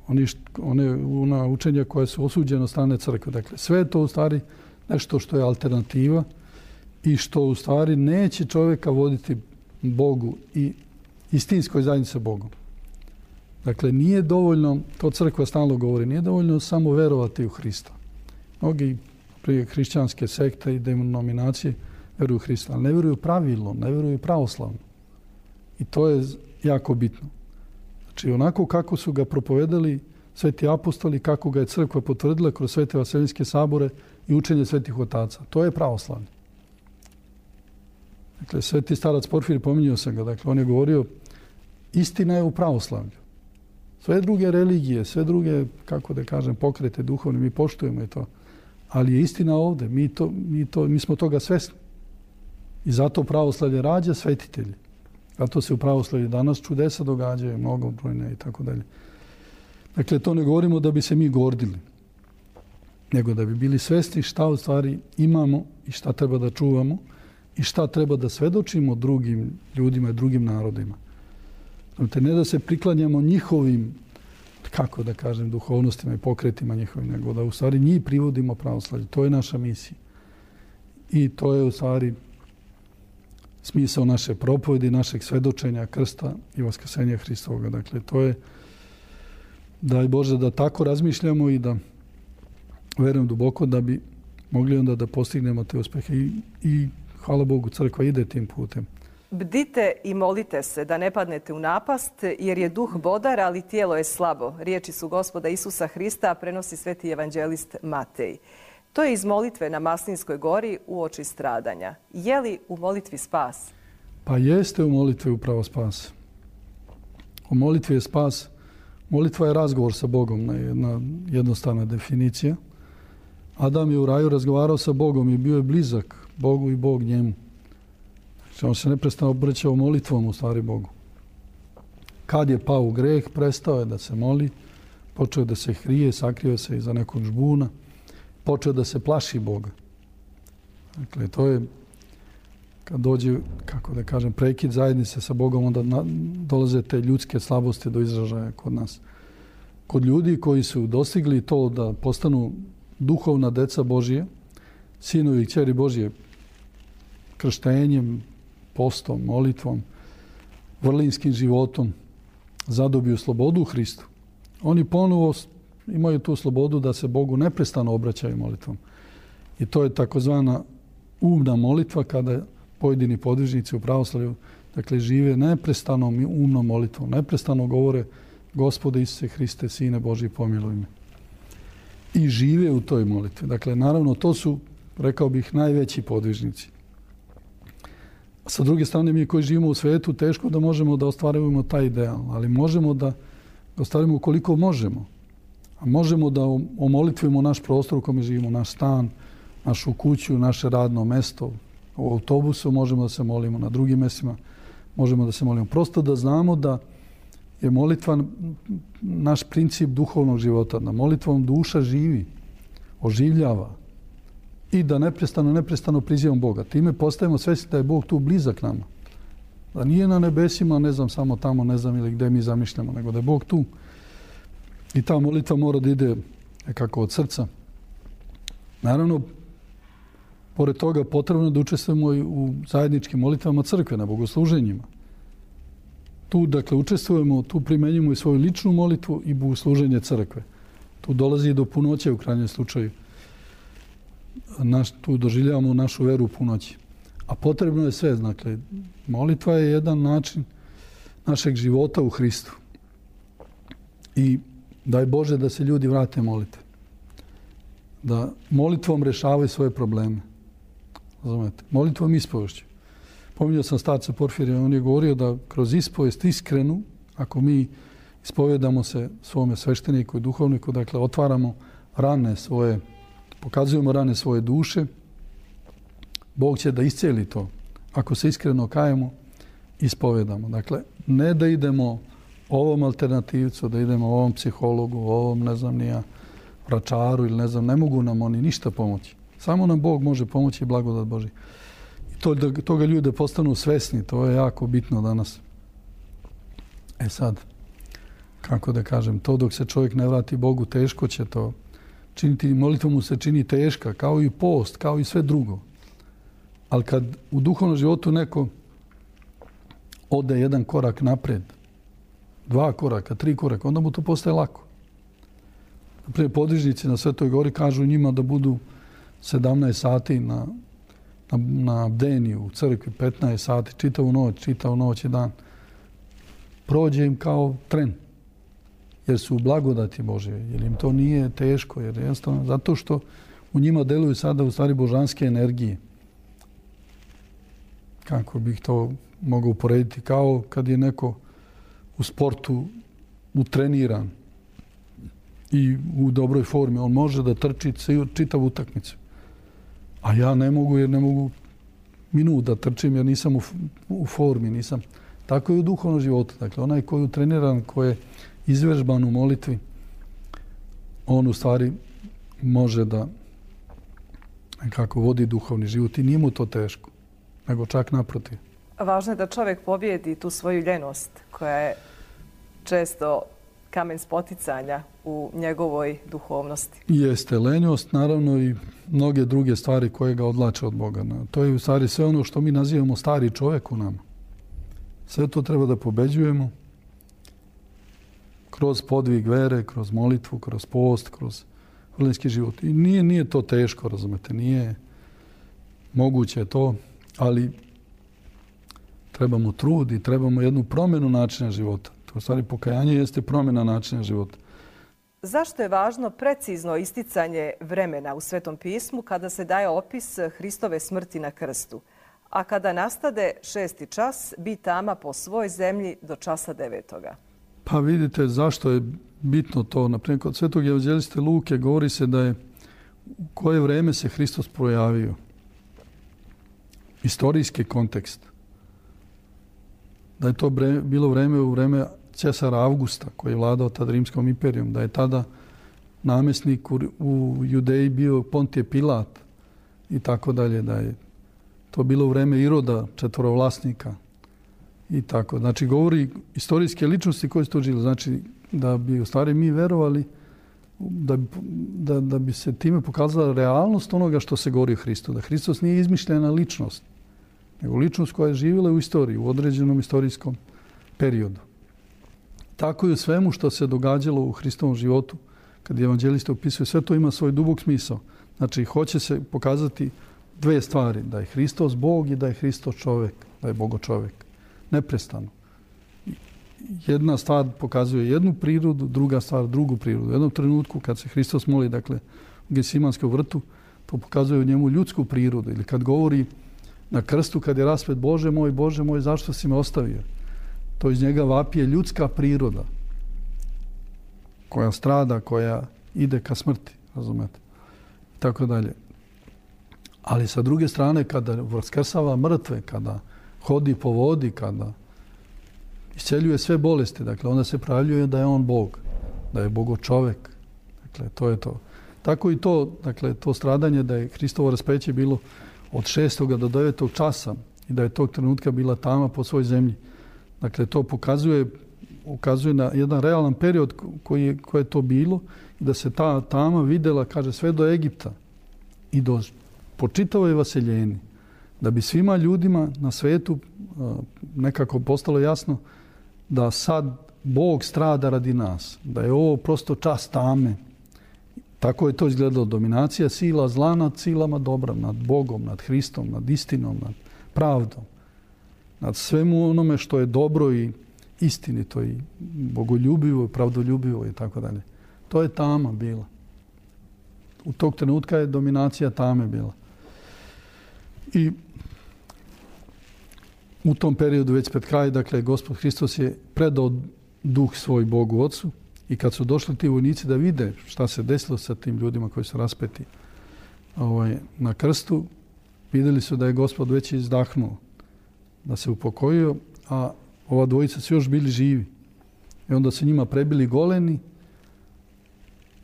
Oni, one ona učenja koja su osuđena od strane crkve. Dakle, sve je to u stvari nešto što je alternativa i što u stvari neće čovjeka voditi Bogu i istinskoj zajednici sa Bogom. Dakle, nije dovoljno, to crkva stalno govori, nije dovoljno samo verovati u Hrista. Mnogi prije hrišćanske sekte i denominacije veruju u Hrista, ali ne veruju pravilno, ne veruju pravoslavno. I to je jako bitno. Znači, onako kako su ga propovedali sveti apostoli, kako ga je crkva potvrdila kroz svete vaseljenske sabore i učenje svetih otaca. To je pravoslavno. Dakle, sveti starac Porfirije, pominjao sam ga, dakle, on je govorio, istina je u pravoslavlju. Sve druge religije, sve druge, kako da kažem, pokrete duhovne, mi poštujemo i to. Ali je istina ovdje, mi, to, mi, to, mi smo toga svesni. I zato pravoslavlje rađa svetitelji. Zato se u pravoslavlju danas čudesa događaju, mnogobrojne i tako dalje. Dakle, to ne govorimo da bi se mi gordili, nego da bi bili svesni šta u stvari imamo i šta treba da čuvamo i šta treba da svedočimo drugim ljudima i drugim narodima. Znači, ne da se priklanjamo njihovim, kako da kažem, duhovnostima i pokretima njihovim, nego da u stvari njih privodimo pravoslavlju. To je naša misija. I to je u stvari smisao naše propovedi, našeg svedočenja, krsta i vaskrsenja Hristovoga. Dakle, to je, daj Bože, da tako razmišljamo i da verujem duboko da bi mogli onda da postignemo te uspehe. I, i hvala Bogu, crkva ide tim putem. Bdite i molite se da ne padnete u napast, jer je duh bodar, ali tijelo je slabo. Riječi su Gospoda Isusa Hrista, prenosi sveti evanđelist Matej. To je iz molitve na Maslinskoj gori uoči stradanja. Je li u molitvi spas? Pa jeste u molitvi upravo spas. U molitvi je spas. Molitva je razgovor sa Bogom, jedna jednostavna definicija. Adam je u raju razgovarao sa Bogom i bio je blizak Bogu i Bog njemu. Znači, on se neprestano obraćao molitvom u stvari Bogu. Kad je pao u greh, prestao je da se moli, počeo da se hrije, sakrio se iza nekog žbuna, počeo da se plaši Boga. Dakle, to je kad dođe, kako da kažem, prekid zajednice sa Bogom, onda na, dolaze te ljudske slabosti do izražaja kod nas. Kod ljudi koji su dostigli to da postanu duhovna deca Božije, sinovi i kćeri Božije, krštenjem, postom, molitvom, vrlinskim životom, zadobiju slobodu u Hristu. Oni ponovo imaju tu slobodu da se Bogu neprestano obraćaju molitvom. I to je takozvana umna molitva kada pojedini podvižnici u pravoslavlju, dakle, žive neprestanom umnom molitvom. Neprestano govore Gospode Isuse Hriste, Sine Božji, pomiluj me. I žive u toj molitvi. Dakle, naravno, to su, rekao bih, najveći podvižnici. Sa druge strane, mi koji živimo u svetu, teško da možemo da ostvarujemo taj ideal, ali možemo da ga ostvarimo ukoliko možemo. A možemo da omolitvimo naš prostor u kome živimo, naš stan, našu kuću, naše radno mesto. U autobusu možemo da se molimo, na drugim mjestima možemo da se molimo. Prosto da znamo da je molitva naš princip duhovnog života. Da molitvom duša živi, oživljava i da neprestano, neprestano prizivamo Boga. Time postajemo svjesni da je Bog tu blizak nama. Da nije na nebesima, ne znam, samo tamo, ne znam ili gdje mi zamišljamo, nego da je Bog tu. I ta molitva mora da ide nekako od srca. Naravno, pored toga potrebno je da učestvujemo i u zajedničkim molitvama crkve, na bogosluženjima. Tu, dakle, učestvujemo, tu primenjujemo i svoju ličnu molitvu i bogosluženje crkve. Tu dolazi do punoće u krajnjem slučaju. Naš, tu doživljavamo našu veru u punoći. A potrebno je sve, dakle, molitva je jedan način našeg života u Hristu. I daj Bože da se ljudi vrate molitve. Da molitvom rešavaju svoje probleme. Razumete? Molitvom ispovešću. Pominjao sam starca Porfirija, on je govorio da kroz ispovest iskrenu, ako mi ispovedamo se svome svešteniku i duhovniku, dakle, otvaramo rane svoje, pokazujemo rane svoje duše, Bog će da iscijeli to. Ako se iskreno kajemo, ispovedamo. Dakle, ne da idemo ovom alternativcu, da idemo ovom psihologu, ovom, ne znam, nija, vračaru ili ne znam, ne mogu nam oni ništa pomoći. Samo nam Bog može pomoći i blagodat Božji. I to, da toga ljude postanu svesni, to je jako bitno danas. E sad, kako da kažem, to dok se čovjek ne vrati Bogu, teško će to činiti. Molitva mu se čini teška, kao i post, kao i sve drugo. Ali kad u duhovnom životu neko ode jedan korak napred, dva koraka, tri koraka, onda mu to postaje lako. Naprijed, podvižnici na Svetoj gori kažu njima da budu sedamnaest sati na, na, na bdeniju u crkvi, petnaest sati, čitavu noć, čitavu noć i dan. Prođe im kao tren. Jer su u blagodati Božje, jer im to nije teško, jer jednostavno zato što u njima deluju sada u stvari božanske energije. Kako bih to mogao uporediti? Kao kad je neko u sportu utreniran i u dobroj formi, on može da trči čitavu utakmicu. A ja ne mogu, jer ne mogu minut da trčim, jer nisam u, u formi, nisam. Tako je u duhovnom životu. Dakle, onaj koji je utreniran, koji je izvežban u molitvi, on u stvari može da kako vodi duhovni život i nije mu to teško, nego čak naprotiv. Važno je da čovjek pobjedi tu svoju ljenost koja je često kamen spoticanja u njegovoj duhovnosti. Jeste lenjost, naravno i mnoge druge stvari koje ga odlače od Boga. To je u stvari sve ono što mi nazivamo stari čovjek u nama. Sve to treba da pobeđujemo kroz podvig vere, kroz molitvu, kroz post, kroz vrlinski život. I nije, nije to teško, razumete, nije moguće to, ali trebamo trud i trebamo jednu promjenu načina života. To u stvari pokajanje jeste promjena načina života. Zašto je važno precizno isticanje vremena u Svetom pismu kada se daje opis Hristove smrti na krstu, a kada nastade šesti čas, bi tama po svoj zemlji do časa devetoga? Pa vidite zašto je bitno to. Naprimjer, kod Svetog evanđeliste Luke govori se da je u koje vreme se Hristos projavio. Istorijski kontekst. Da je to bre, bilo vreme u vreme cesara Avgusta, koji je vladao tad Rimskom imperijom. Da je tada namjesnik u, u Judeji bio Pontije Pilat i tako dalje. Da je to bilo u vreme Iroda, četvorovlasnika. I tako. Znači, govori istorijske ličnosti koje su to žili. Znači, da bi u stvari mi verovali da bi, da, da bi se time pokazala realnost onoga što se govori o Hristu. Da Hristos nije izmišljena ličnost, nego ličnost koja je živjela u istoriji, u određenom istorijskom periodu. Tako i u svemu što se događalo u Hristovom životu, kad evanđelista opisuje, sve to ima svoj dubok smisao. Znači, hoće se pokazati dve stvari. Da je Hristos Bog i da je Hristos čovjek, da je Bogo čovjek. Neprestano. Jedna stvar pokazuje jednu prirodu, druga stvar drugu prirodu. U jednom trenutku kad se Hristos moli, dakle, u Gesimanskom vrtu, to pokazuje u njemu ljudsku prirodu. Ili kad govori na krstu, kad je raspet Bože moj, Bože moj, zašto si me ostavio? To iz njega vapije ljudska priroda koja strada, koja ide ka smrti, razumete? I tako dalje. Ali sa druge strane, kada vaskrsava mrtve, kada hodi po vodi, kada isceljuje sve bolesti, dakle, onda se pravljuje da je on Bog, da je Bogo čovjek. Dakle, to je to. Tako i to, dakle, to stradanje da je Hristovo raspeće bilo od šestog do devetog časa i da je tog trenutka bila tama po svoj zemlji. Dakle, to pokazuje, ukazuje na jedan realan period koji je, koji je to bilo i da se ta tama videla, kaže, sve do Egipta i do po čitavoj vaseljeni. Da bi svima ljudima na svetu nekako postalo jasno da sad Bog strada radi nas. Da je ovo prosto čas tame. Tako je to izgledalo. Dominacija sila zla nad silama dobra, nad Bogom, nad Hristom, nad istinom, nad pravdom. Nad svemu onome što je dobro i istinito i bogoljubivo i pravdoljubivo i tako dalje. To je tama bila. U tog trenutka je dominacija tame bila. I u tom periodu već pred kraj, dakle, Gospod Hristos je predao duh svoj Bogu Otcu i kad su došli ti vojnici da vide šta se desilo sa tim ljudima koji su raspeti ovaj, na krstu, vidjeli su da je Gospod već izdahnuo, da se upokojio, a ova dvojica su još bili živi. I onda su njima prebili goleni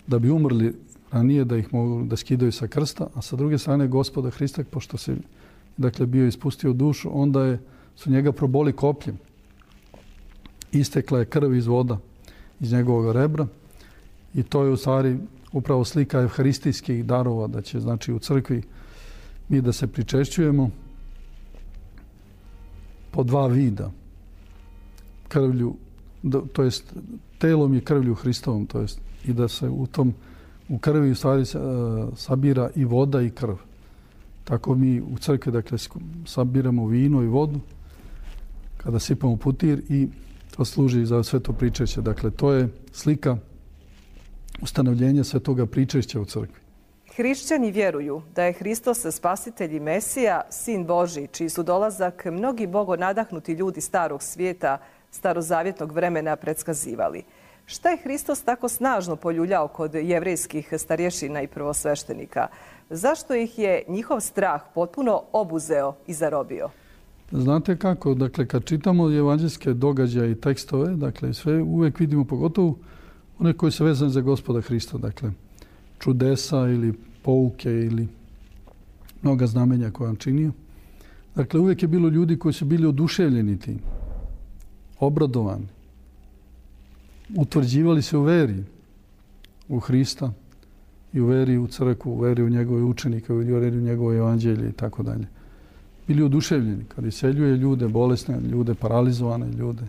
da bi umrli ranije, da ih mogu da skidaju sa krsta, a sa druge strane Gospoda Hrista, pošto se dakle bio ispustio dušu, onda je, su njega proboli kopljem. Istekla je krv iz voda iz njegovog rebra i to je u stvari upravo slika evharistijskih darova, da će znači u crkvi mi da se pričešćujemo po dva vida. Krvlju, to jest telom i krvlju Hristovom, to jest i da se u tom u krvi u stvari sabira i voda i krv. Tako mi u crkvi dakle sabiramo vino i vodu kada sipamo putir i to služi za sveto pričešće. Dakle, to je slika ustanovljenja svetoga pričešća u crkvi. Hrišćani vjeruju da je Hristos spasitelj i Mesija, sin Božji, čiji su dolazak mnogi bogonadahnuti ljudi starog svijeta, starozavjetnog vremena predskazivali. Šta je Hristos tako snažno poljuljao kod jevrejskih starješina i prvosveštenika? Zašto ih je njihov strah potpuno obuzeo i zarobio? Znate kako, dakle, kad čitamo evanđelske događaje i tekstove, dakle, sve uvijek vidimo, pogotovo one koji su vezani za Gospoda Hrista, dakle, čudesa ili pouke ili mnoga znamenja koje on činio. Dakle, uvijek je bilo ljudi koji su bili oduševljeni tim, obradovani, utvrđivali se u veri u Hrista i u veri u crkvu, u veri u njegove učenike, u veri u njegove evanđelje i tako dalje. Bili oduševljeni kad iseljuje ljude bolesne, ljude paralizovane, ljude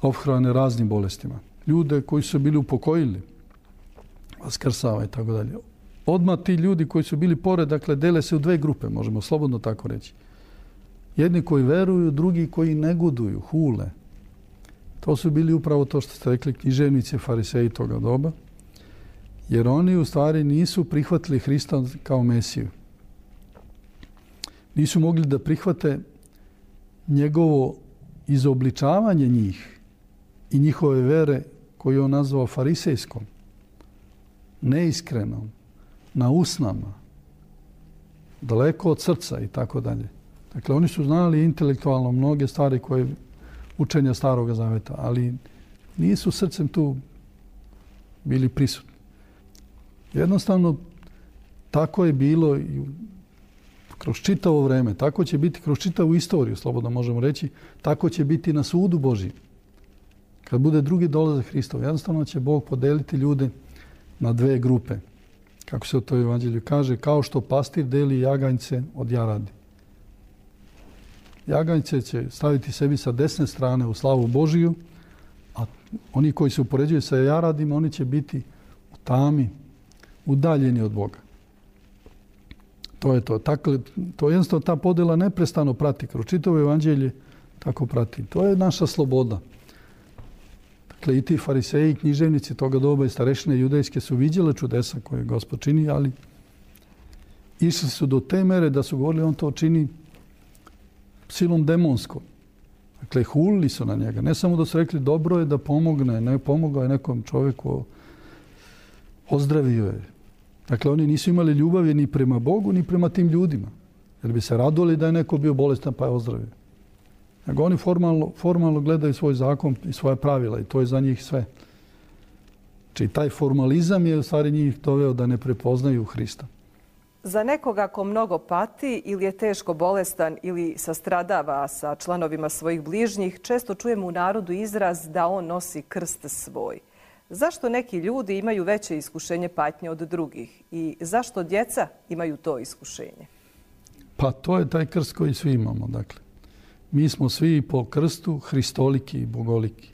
ophrane raznim bolestima. Ljude koji su bili upokojili, vaskrsava i tako dalje. Odmah ti ljudi koji su bili pored, dakle, dele se u dve grupe, možemo slobodno tako reći. Jedni koji veruju, drugi koji negoduju, hule. To su bili upravo to što ste rekli književnici, fariseji toga doba, jer oni u stvari nisu prihvatili Hrista kao Mesiju. Nisu mogli da prihvate njegovo izobličavanje njih i njihove vere koju on nazvao farisejskom, neiskrenom, na usnama, daleko od srca i tako dalje. Dakle, oni su znali intelektualno mnoge stvari koje učenja Staroga Zaveta, ali nisu srcem tu bili prisutni. Jednostavno, tako je bilo i kroz čitavo vreme, tako će biti kroz čitavu istoriju, slobodno možemo reći, tako će biti na sudu Božji. Kad bude drugi dolazak Hristov, jednostavno će Bog podeliti ljude na dve grupe. Kako se u toj evanđelju kaže, kao što pastir deli jaganjce od jaradi. Jaganjce će staviti sebi sa desne strane u slavu Božiju, a oni koji se upoređuju sa jaradima, oni će biti u tami, udaljeni od Boga. To je to. Tako, to jednostavno ta podjela neprestano prati. Kroz čitavo evanđelje tako prati. To je naša sloboda. Dakle, i ti fariseji, književnici toga doba i starešine judejske su viđele čudesa koje Gospod čini, ali išli su do te mere da su govorili on to čini silom demonskom. Dakle, hulili su na njega. Ne samo da su rekli dobro je da pomogne, ne pomogao je nekom čovjeku, ozdravio je. Dakle, oni nisu imali ljubavi ni prema Bogu, ni prema tim ljudima. Jer bi se radovali da je neko bio bolestan pa je ozdravio. Nego oni formalno, formalno gledaju svoj zakon i svoje pravila i to je za njih sve. Znači, taj formalizam je u stvari njih doveo da ne prepoznaju Hrista. Za nekoga ko mnogo pati ili je teško bolestan ili sastradava sa članovima svojih bližnjih, često čujemo u narodu izraz da on nosi krst svoj. Zašto neki ljudi imaju veće iskušenje patnje od drugih i zašto djeca imaju to iskušenje? Pa to je taj krst koji svi imamo. Dakle, mi smo svi po krstu hristoliki i bogoliki.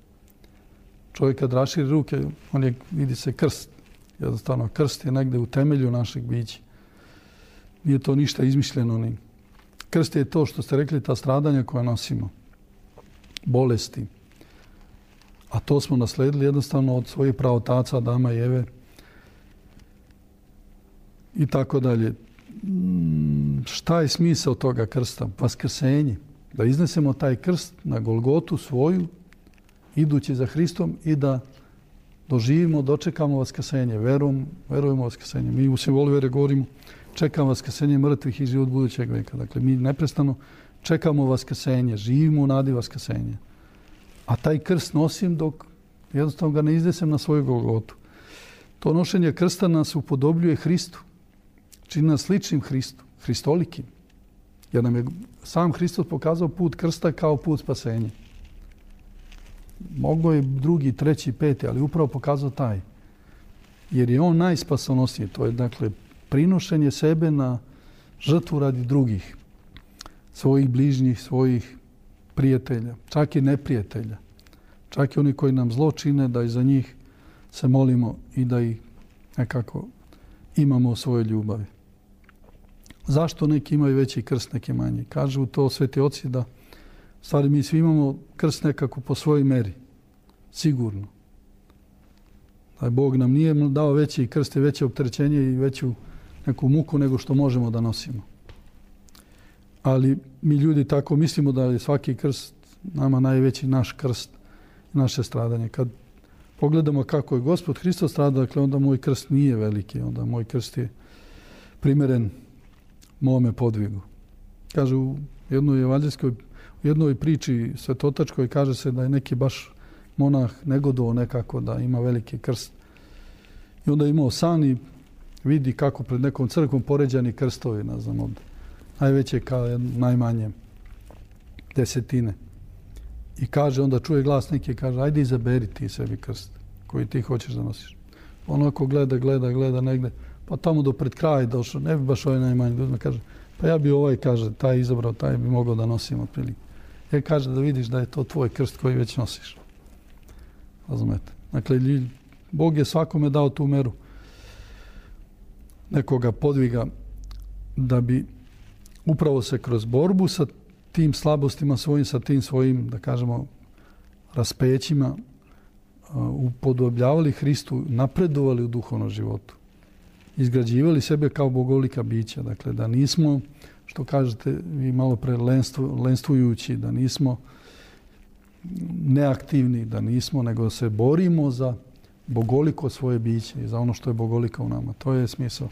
Čovjek kad raširi ruke, on je, vidi se krst. Jednostavno, krst je negde u temelju našeg bića. Nije to ništa izmišljeno. Ni. Krst je to što ste rekli, ta stradanja koja nosimo. Bolesti. A to smo nasledili jednostavno od svojih praotaca, Adama i Eve. I tako dalje. Šta je smisao toga krsta? Vaskrsenje. Da iznesemo taj krst na Golgotu svoju, idući za Hristom i da doživimo, dočekamo vaskrsenje. Verom, verujemo u vaskrsenje. Mi u simbolu vere govorimo čekamo vaskrsenje mrtvih i život budućeg veka. Dakle, mi neprestano čekamo vaskrsenje, živimo u nadi vaskrsenja. A taj krst nosim dok jednostavno ga ne iznesem na svoju Golgotu. To nošenje krsta nas upodobljuje Hristu. Čini nas sličnim Hristu, hristolikim. Jer nam je sam Hristos pokazao put krsta kao put spasenja. Moglo je drugi, treći, peti, ali upravo pokazao taj. Jer je on najspasonosniji. To je, dakle, prinošenje sebe na žrtvu radi drugih. Svojih bližnjih, svojih prijatelja, čak i neprijatelja. Čak i oni koji nam zlo čine, da i za njih se molimo i da ih nekako imamo u svojoj ljubavi. Zašto neki imaju veći krst, neki manji? Kažu to sveti oci da u stvari mi svi imamo krst nekako po svojoj meri. Sigurno. Da Bog nam nije dao veći krst i veće opterećenje i veću neku muku nego što možemo da nosimo. Ali mi ljudi tako mislimo da je svaki krst nama najveći naš krst, naše stradanje. Kad pogledamo kako je Gospod Hristos stradao, dakle onda moj krst nije veliki, onda moj krst je primjeren mome podvigu. Kaže u jednoj evanđeljskoj, u jednoj priči svetotačkoj kaže se da je neki baš monah negodovao nekako da ima veliki krst. I onda je imao san i vidi kako pred nekom crkvom poređani krstovi, ne znam, od najveće kao najmanje desetine. I kaže, onda čuje glas neki, kaže, ajde izaberi ti sebi krst koji ti hoćeš da nosiš. Onako gleda, gleda, gleda negde, pa tamo do pred kraja došao, ne bi baš ovaj najmanji ljudima, kaže, pa ja bi ovaj, kaže, taj izabrao, taj bi mogao da nosim otprilike. Jer kaže da vidiš da je to tvoj krst koji već nosiš. Razumete? Dakle, Bog je svakome dao tu meru nekoga podviga da bi upravo se kroz borbu sa tim slabostima svojim, sa tim svojim, da kažemo, raspećima upodobljavali Hristu, napredovali u duhovnom životu. Izgrađivali sebe kao bogolika bića. Dakle, da nismo, što kažete vi malo pre, lenstvu, lenstvujući, da nismo neaktivni, da nismo, nego se borimo za bogoliko svoje biće i za ono što je bogolika u nama. To je smisao.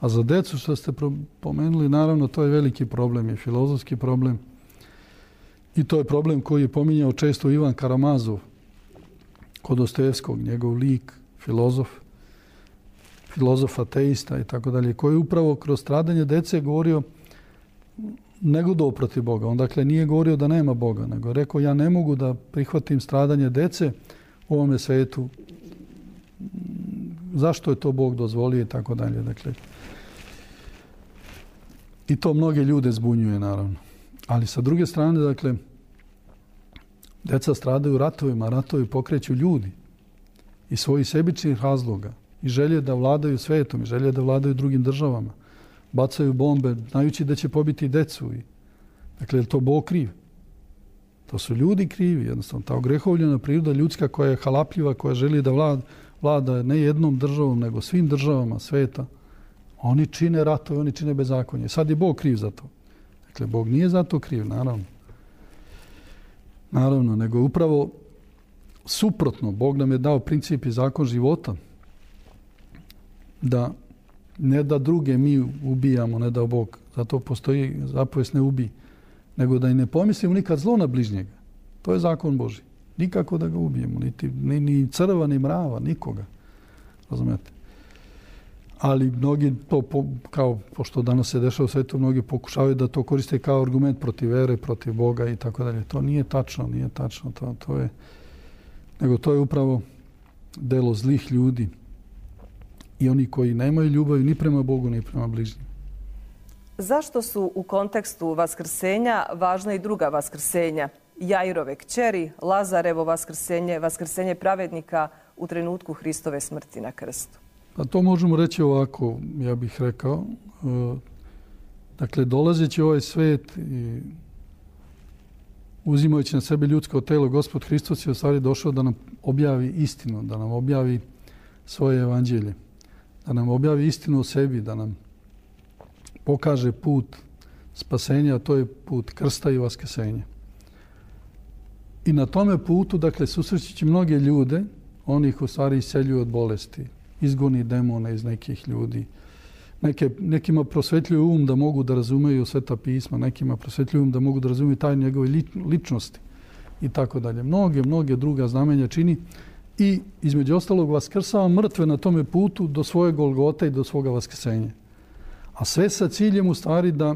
A za decu, što ste pomenuli, naravno, to je veliki problem, je filozofski problem. I to je problem koji je pominjao često Ivan Karamazov kod Dostojevskog, njegov lik, filozof, filozof ateista i tako dalje, koji je upravo kroz stradanje dece govorio negodovao protiv Boga. On dakle nije govorio da nema Boga, nego je rekao ja ne mogu da prihvatim stradanje dece u ovome svetu. Zašto je to Bog dozvolio i tako dalje. Dakle, i to mnoge ljude zbunjuje, naravno. Ali sa druge strane, dakle, deca stradaju u ratovima, ratovi pokreću ljudi i svojih sebičnih razloga i želje da vladaju svetom i želje da vladaju drugim državama. Bacaju bombe, znajući da će pobiti decu. I, dakle, je to Bog kriv? To su ljudi krivi, jednostavno. Ta ogrehovljena priroda ljudska koja je halapljiva, koja želi da vlada, vlada ne jednom državom, nego svim državama sveta. Oni čine ratove, oni čine bezakonje. Sad je Bog kriv za to. Dakle, Bog nije za to kriv, naravno. Naravno, nego upravo suprotno. Bog nam je dao princip i zakon života. Da ne da druge mi ubijamo, ne da Bog. Zato postoji zapovest ne ubij. Nego da i ne pomislimo nikad zlo na bližnjega. To je zakon Božji. Nikako da ga ubijemo. Niti, ni, ni crva, ni mrava, nikoga. Razumete? Ali mnogi to, po, kao, pošto danas se dešava u svetu, mnogi pokušavaju da to koriste kao argument protiv vere, protiv Boga i tako dalje. To nije tačno, nije tačno. To, to je, nego to je upravo delo zlih ljudi i oni koji nemaju ljubavi ni prema Bogu, ni prema bližnjim. Zašto su u kontekstu vaskrsenja važna i druga vaskrsenja? Jairove kćeri, Lazarevo vaskrsenje, vaskrsenje pravednika u trenutku Hristove smrti na krstu. Pa to možemo reći ovako, ja bih rekao. Dakle, dolazeći u ovaj svet i uzimajući na sebe ljudsko telo, Gospod Hristos je u stvari došao da nam objavi istinu, da nam objavi svoje evanđelje, da nam objavi istinu o sebi, da nam pokaže put spasenja, a to je put krsta i vaskrsenja. I na tome putu, dakle, susrećući mnoge ljude, oni ih u stvari isceljuju od bolesti, izgoni demone iz nekih ljudi. Neke, nekima prosvetljuju um da mogu da razumeju Sveta pisma, nekima prosvetljuju um da mogu da razumeju tajne njegove ličnosti. i tako dalje. Mnoge, mnoge druga znamenja čini i između ostalog vaskrsava mrtve na tome putu do svoje Golgote i do svoga vaskrsenja. A sve sa ciljem u stvari da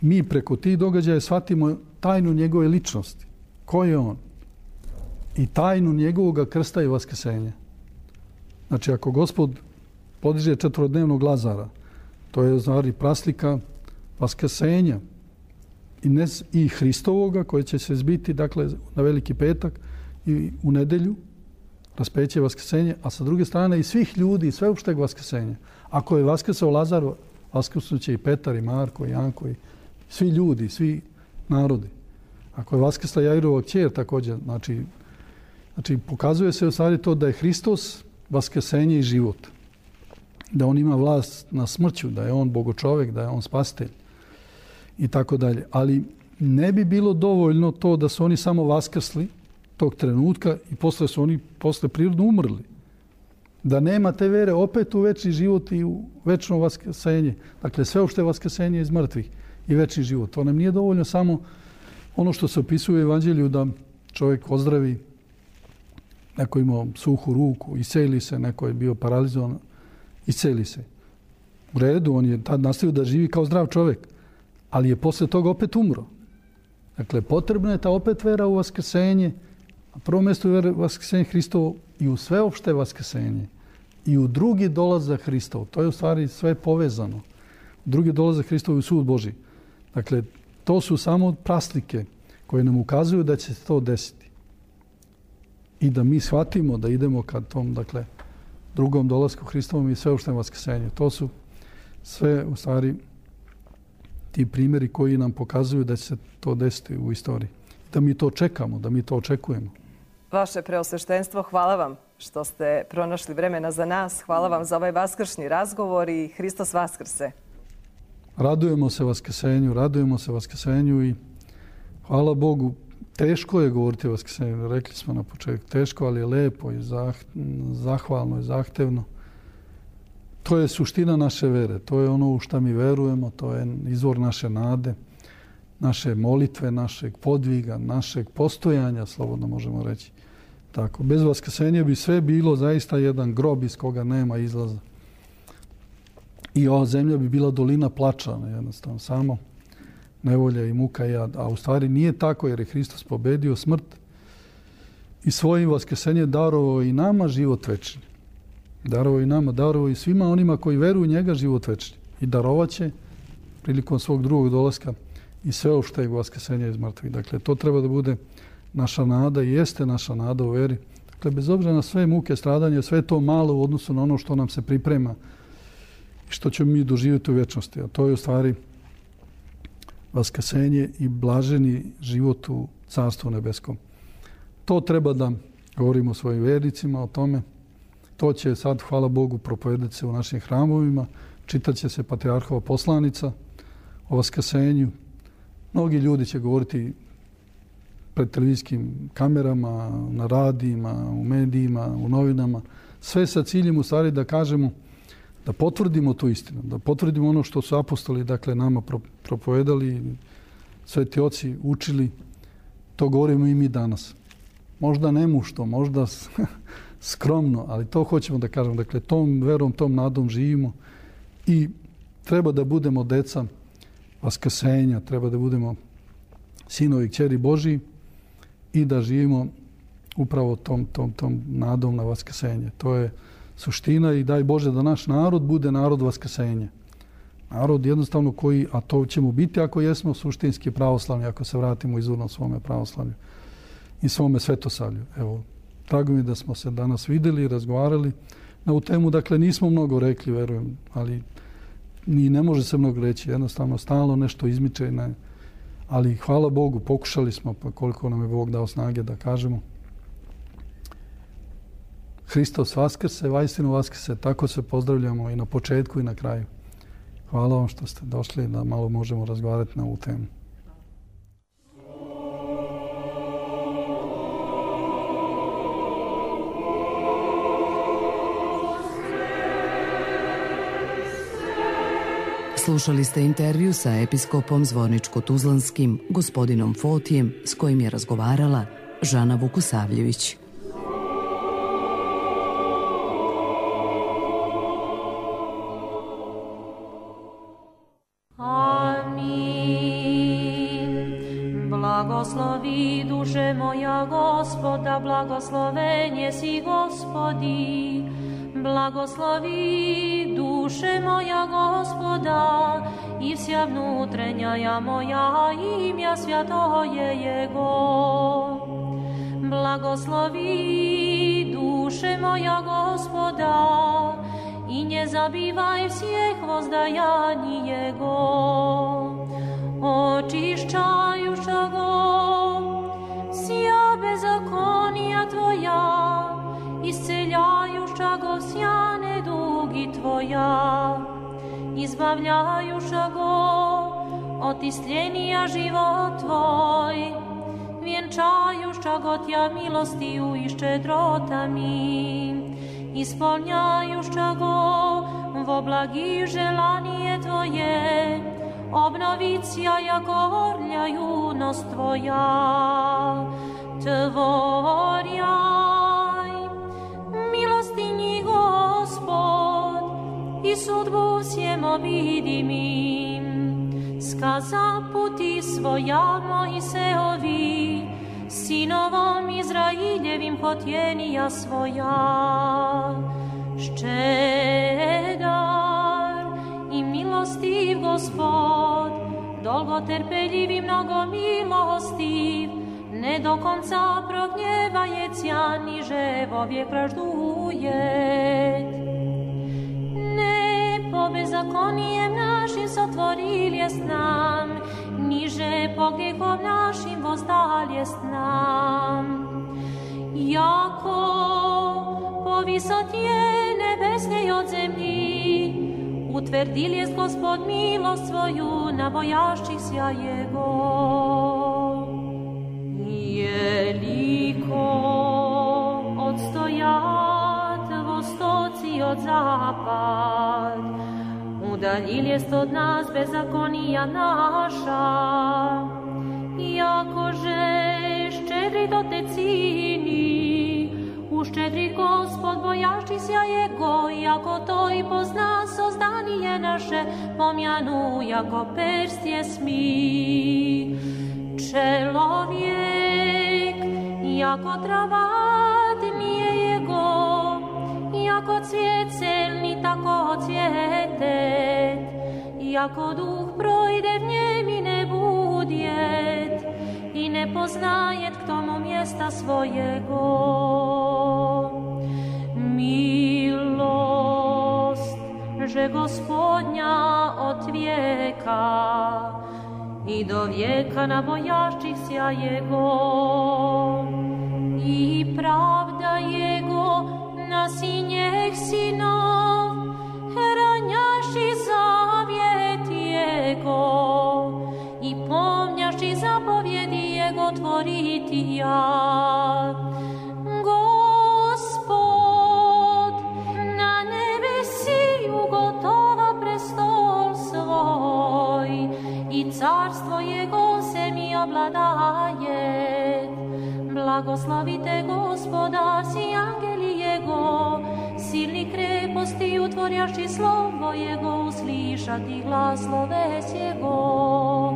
mi preko tih događaja shvatimo tajnu njegove ličnosti. Ko je on? I tajnu njegovog krsta i vaskrsenja. Znači, ako Gospod podiže četvorodnevnog Lazara, to je u stvari praslika vaskrsenja i, ne, i Hristovoga koje će se zbiti dakle, na Veliki petak i u nedelju, raspeće vaskrsenje, a sa druge strane i svih ljudi i sveopšteg vaskrsenja. Ako je vaskrsao Lazar, vaskrsnuće i Petar i Marko i Janko i svi ljudi, svi narodi. Ako je vaskrsla Jairova kćer također, znači, znači pokazuje se u stvari to da je Hristos vaskrsenje i život. Da on ima vlast na smrću, da je on bogočovek, da je on spasitelj i tako dalje. Ali ne bi bilo dovoljno to da su oni samo vaskrsli tog trenutka i posle su oni posle prirodno umrli. Da nema te vere opet u večni život i u večno vaskrsenje. Dakle, sve uopšte vaskrsenje iz mrtvih i večni život. To nam nije dovoljno samo ono što se opisuje u Evanđelju da čovjek ozdravi, neko imao suhu ruku, isceli se, neko je bio paralizovan, isceli se. U redu, on je tad nastavio da živi kao zdrav čovjek, ali je posle toga opet umro. Dakle, potrebna je ta opet vera u vaskrsenje, na prvom mjestu je vera u vaskrsenje Hristovo i u sveopšte vaskrsenje i u drugi dolazak Hristov. To je u stvari sve povezano. Drugi dolazak Hristov i u sud Božji. Dakle, to su samo praslike koje nam ukazuju da će se to desiti. I da mi shvatimo da idemo ka tom, dakle, drugom dolasku Hristovom i sveopštem vaskrsenju. To su sve u stvari ti primjeri koji nam pokazuju da će se to desiti u istoriji. Da mi to čekamo, da mi to očekujemo. Vaše preosveštenstvo, hvala vam što ste pronašli vremena za nas. Hvala vam za ovaj vaskršnji razgovor i Hristos vaskrse. Radujemo se vaskrsenju, radujemo se vaskrsenju i hvala Bogu. Teško je govoriti o vaskrsenju, rekli smo na početku. Teško, ali je lepo i zahvalno i zahtevno. To je suština naše vere. To je ono u što mi verujemo, to je izvor naše nade, naše molitve, našeg podviga, našeg postojanja, slobodno možemo reći. Tako, bez vaskrsenja bi sve bilo zaista jedan grob iz koga nema izlaza. I ova zemlja bi bila dolina plača, jednostavno, samo nevolja i muka i jad. A u stvari nije tako jer je Hristos pobedio smrt i svojim vaskrsenjem darovao i nama život večni. Darovao i nama, darovao i svima onima koji veruju u njega život večni. I darovat će prilikom svog drugog dolaska i sveopšteg vaskrsenja iz mrtvih. Dakle, to treba da bude naša nada i jeste naša nada u veri. Dakle, bez obzira na sve muke, stradanje, sve to malo u odnosu na ono što nam se priprema i što ćemo mi doživjeti u vječnosti. A to je u stvari vaskrsenje i blaženi život u Carstvu nebeskom. To treba da govorimo svojim vernicima o tome. To će sad, hvala Bogu, propovedati se u našim hramovima. Čitat će se patrijarhova poslanica o vaskrsenju. Mnogi ljudi će govoriti pred televizijskim kamerama, na radijima, u medijima, u novinama. Sve sa ciljem u stvari da kažemo, da potvrdimo tu istinu, da potvrdimo ono što su apostoli, dakle, nama propovedali, sveti oci učili. To govorimo i mi danas. Možda nemušto, možda skromno, ali to hoćemo da kažemo. Dakle, tom verom, tom nadom živimo i treba da budemo deca vaskrsenja, treba da budemo sinovi i kćeri Božji i da živimo upravo tom, tom, tom nadom na vaskrsenje. To je suština i daj Bože da naš narod bude narod vaskrsenja. Narod jednostavno koji, a to ćemo biti ako jesmo suštinski pravoslavni, ako se vratimo izvorno svome pravoslavlju i svome svetosavlju. Evo, drago mi da smo se danas vidjeli i razgovarali na ovu temu. Dakle, nismo mnogo rekli, verujem, ali ni ne može se mnogo reći. Jednostavno, stalno nešto izmiče. Ne. Ali hvala Bogu, pokušali smo, pa koliko nam je Bog dao snage da kažemo. Hristos vaskrse, vajstinu vaskrse. Tako se pozdravljamo i na početku i na kraju. Hvala vam što ste došli da malo možemo razgovarati na ovu temu. Slušali ste intervju sa episkopom Zvorničko-Tuzlanskim, gospodinom Fotijem, s kojim je razgovarala Žana Vukusavljević. Blagoslovi duše moja Gospoda, blagosloven je si Gospodi. Blagoslovi duše moja Gospoda i vsja vnutrenjaja moja imja svjatoje Jego. Blagoslovi duše moja Gospoda i ne zabivaj vseh vozdajani Jego. Očišćajuša go vsja bezakonija tvoja, isceljajuša go vsja nedugi tvoja, izbavljajuša go od istljenija život tvoj, vjenčajuša go tja milostiju i ščedrotami, ispolnjajuša go vo blagi želanije tvoje, obnovicija jako orlja junost tvoja. Tvorjaj milostinji Gospod i sudbu vsjem obidimim. Skaza puti svoja Mojseovi, sinovom Izraeljevim potjenija svoja. Ščedar i milostiv Gospod, dolgoterpeljiv i mnogo milostiv, ne do konca prognjevajecija, niže vovijek pražduje. Ne po bezakonijem našim sotvoriljest nam, niže po grijehom našim vozdaljest nam. Jako po visotje nebesnej od zemlji, utvrdil jest Gospod milost svoju na bojašćih sja Jego. Jeliko odstojat vostoci od zapad, udaljil jest od nas bezakonija naša, jakože ščedrit do te cini, uščedrit Gospod bojašćih sja Jego, jako to i pozna sozdanije naše, pomjanu jako perstje smi. Čelovjek, jako travat nije Jego, jako cvijet celni, tako cvjetet, jako duh projde v njem i ne budjet, i ne poznajet k tomu mjesta svojego. Milost, že Gospodnja od vijeka i do vijeka na bojašćih sja Jego, i pravda Jego na sinjeh sinov, ranjaši zavjet Jego, i pomnjaši zapovjedi Jego tvoriti ja. Gospod na nebesi ugotova prestol svoj, i carstvo Jego se mi obladaje. Blagoslavite Gospoda, si angeli Jego, silni kreposti utvorjaši slovo Jego, uslišati glas sloves Jego.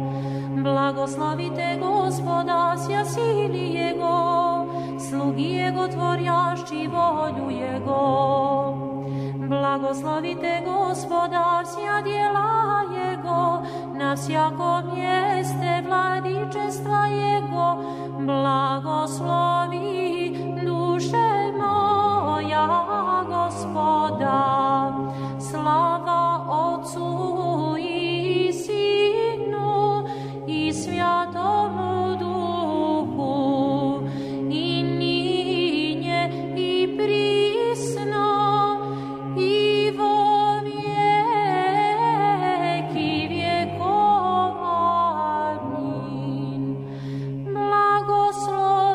Blagoslavite Gospoda, sja sili Jego, slugi Jego tvorjaši volju Jego. Blagoslavite Gospoda, sja djela Jego, na vsjakom mjeste vladičestva Jego. Blagoslovi duše moja Gospoda, slava Otcu i Sinu i Svjatomu Duhu, i ninje i prisno i vo vijeki vjekova. Amin. Blagoslovi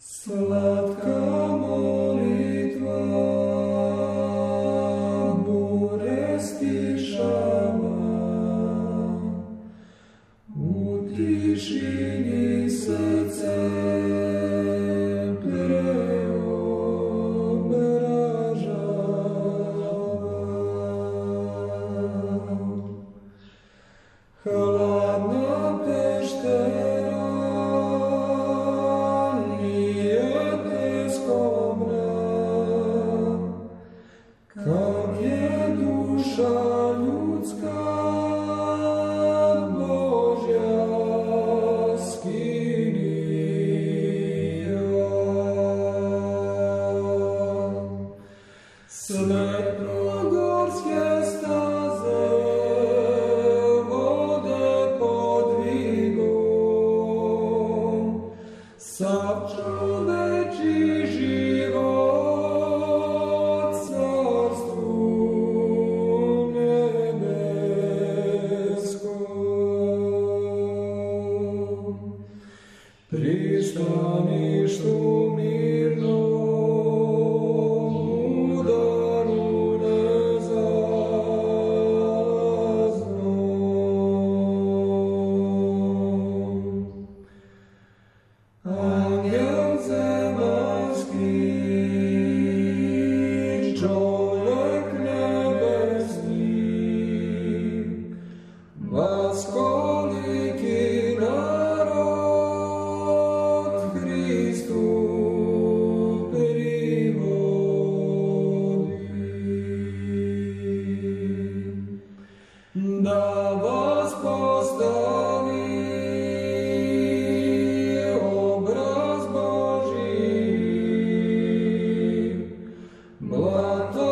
Slatka molitva bure stišava, u tišini srce hladna peštera nije teskovna, kak je duša ljudska Božja skinija. Svetlogorske staze sav čoveči život carstvu nebeskom. Pristaništu mirnom, udaru nezalaznom. Anjel zemaljski, čovjek nebesni, vas koliki narod Hristu privodi. Da vas postavi Blato